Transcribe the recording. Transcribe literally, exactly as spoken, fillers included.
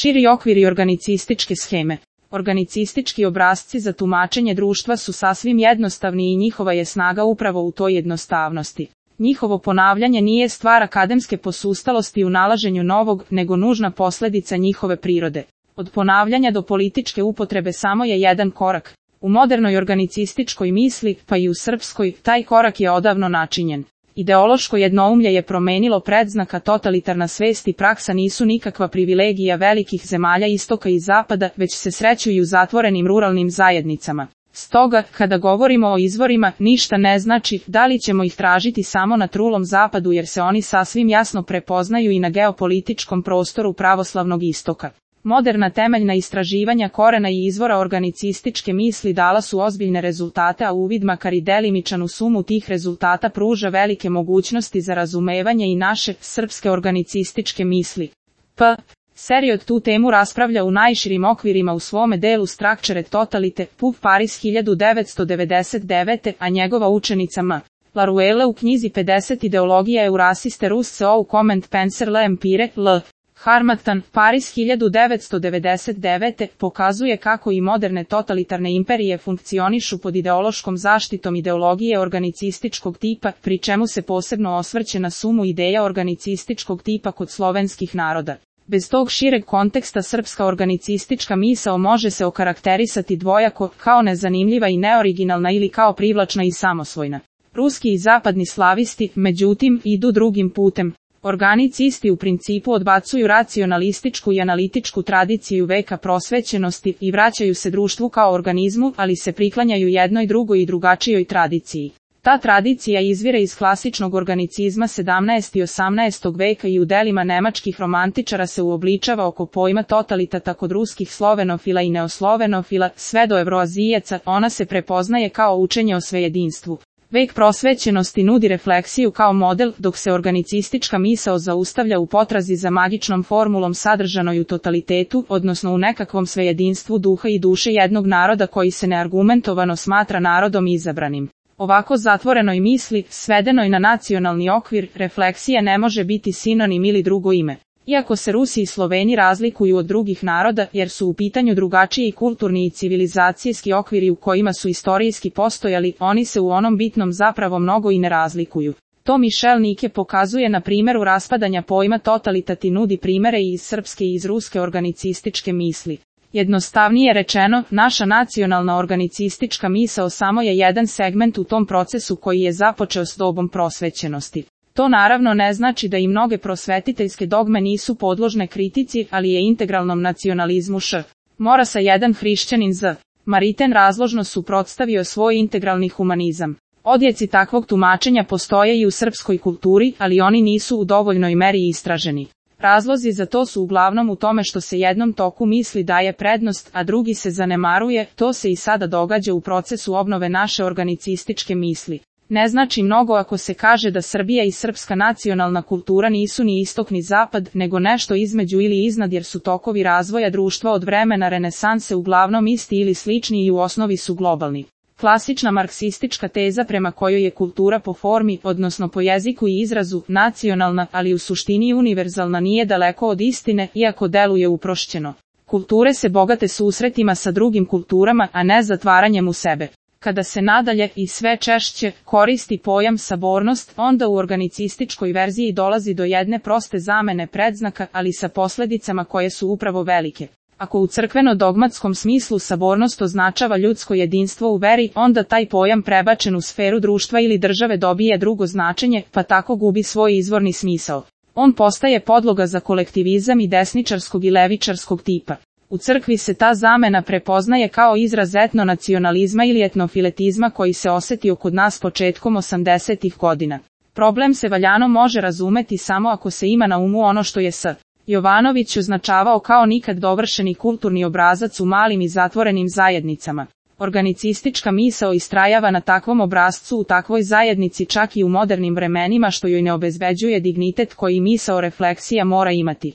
Širi okviri organicističke sheme. Organicistički obrasci za tumačenje društva su sasvim jednostavni i njihova je snaga upravo u toj jednostavnosti. Njihovo ponavljanje nije stvar akademske posustalosti u nalaženju novog, nego nužna posljedica njihove prirode. Od ponavljanja do političke upotrebe samo je jedan korak. U modernoj organicističkoj misli, pa i u srpskoj, taj korak je odavno načinjen. Ideološko jednoumlje je promenilo predznaka, totalitarna svest i praksa nisu nikakva privilegija velikih zemalja istoka i zapada, već se sreću i u zatvorenim ruralnim zajednicama. Stoga, kada govorimo o izvorima, ništa ne znači da li ćemo ih tražiti samo na trulom zapadu jer se oni sasvim jasno prepoznaju i na geopolitičkom prostoru pravoslavnog istoka. Moderna temeljna istraživanja korena i izvora organicističke misli dala su ozbiljne rezultate, a uvid makar i delimičan u sumu tih rezultata pruža velike mogućnosti za razumevanje i naše, srpske organicističke misli. P. Seriod tu temu raspravlja u najširim okvirima u svome delu Structured Totalite, P U B Paris hiljadu devetsto devedeset devete. a njegova učenica M. Laruelle u knjizi pedeset Ideologija Eurasiste Russe ou Comment Penser l'Empire, L. Harmattan, Paris hiljadu devetsto devedeset devete. pokazuje kako i moderne totalitarne imperije funkcionišu pod ideološkom zaštitom ideologije organicističkog tipa, pri čemu se posebno osvrće na sumu ideja organicističkog tipa kod slovenskih naroda. Bez tog šireg konteksta srpska organicistička misao može se okarakterisati dvojako, kao nezanimljiva i neoriginalna ili kao privlačna i samosvojna. Ruski i zapadni slavisti, međutim, idu drugim putem. Organicisti u principu odbacuju racionalističku i analitičku tradiciju veka prosvećenosti i vraćaju se društvu kao organizmu, ali se priklanjaju jednoj drugoj i drugačijoj tradiciji. Ta tradicija izvire iz klasičnog organicizma sedamnaestog i osamnaestog veka i u delima nemačkih romantičara se uobličava oko pojma totalitata kod ruskih slovenofila i neoslovenofila, sve do evroazijaca, ona se prepoznaje kao učenje o svejedinstvu. Vek prosvećenosti nudi refleksiju kao model, dok se organicistička misao zaustavlja u potrazi za magičnom formulom sadržanoj u totalitetu, odnosno u nekakvom svejedinstvu duha i duše jednog naroda koji se neargumentovano smatra narodom izabranim. Ovako zatvorenoj misli, svedenoj na nacionalni okvir, refleksija ne može biti sinonim ili drugo ime. Iako se Rusi i Sloveni razlikuju od drugih naroda, jer su u pitanju drugačiji kulturni i civilizacijski okviri u kojima su istorijski postojali, oni se u onom bitnom zapravo mnogo i ne razlikuju. To Michel Nike pokazuje na primjeru raspadanja pojma totalitati, nudi primere i iz srpske i iz ruske organicističke misli. Jednostavnije rečeno, naša nacionalna organicistička misao samo je jedan segment u tom procesu koji je započeo s dobom prosvećenosti. To naravno ne znači da i mnoge prosvetiteljske dogme nisu podložne kritici, ali je integralnom nacionalizmu š. Morasa jedan hrišćanin z. Maritain razložno suprotstavio svoj integralni humanizam. Odjeci takvog tumačenja postoje i u srpskoj kulturi, ali oni nisu u dovoljnoj meri istraženi. Razlozi za to su uglavnom u tome što se jednom toku misli daje prednost, a drugi se zanemaruje. To se i sada događa u procesu obnove naše organicističke misli. Ne znači mnogo ako se kaže da Srbija i srpska nacionalna kultura nisu ni istok ni zapad, nego nešto između ili iznad, jer su tokovi razvoja društva od vremena renesanse uglavnom isti ili slični i u osnovi su globalni. Klasična marksistička teza prema kojoj je kultura po formi, odnosno po jeziku i izrazu, nacionalna, ali u suštini univerzalna, nije daleko od istine, iako deluje uprošćeno. Kulture se bogate susretima sa drugim kulturama, a ne zatvaranjem u sebe. Kada se nadalje i sve češće koristi pojam sabornost, onda u organicističkoj verziji dolazi do jedne proste zamene predznaka, ali sa posljedicama koje su upravo velike. Ako u crkveno-dogmatskom smislu sabornost označava ljudsko jedinstvo u veri, onda taj pojam prebačen u sferu društva ili države dobije drugo značenje, pa tako gubi svoj izvorni smisao. On postaje podloga za kolektivizam i desničarskog i levičarskog tipa. U crkvi se ta zamena prepoznaje kao izraz etnonacionalizma ili etnofiletizma koji se osjetio kod nas početkom osamdesetih godina. Problem se valjano može razumeti samo ako se ima na umu ono što je S. Jovanović označavao kao nikad dovršeni kulturni obrazac u malim i zatvorenim zajednicama. Organicistička misao istrajava na takvom obrascu u takvoj zajednici čak i u modernim vremenima, što joj ne obezbeđuje dignitet koji misao refleksija mora imati.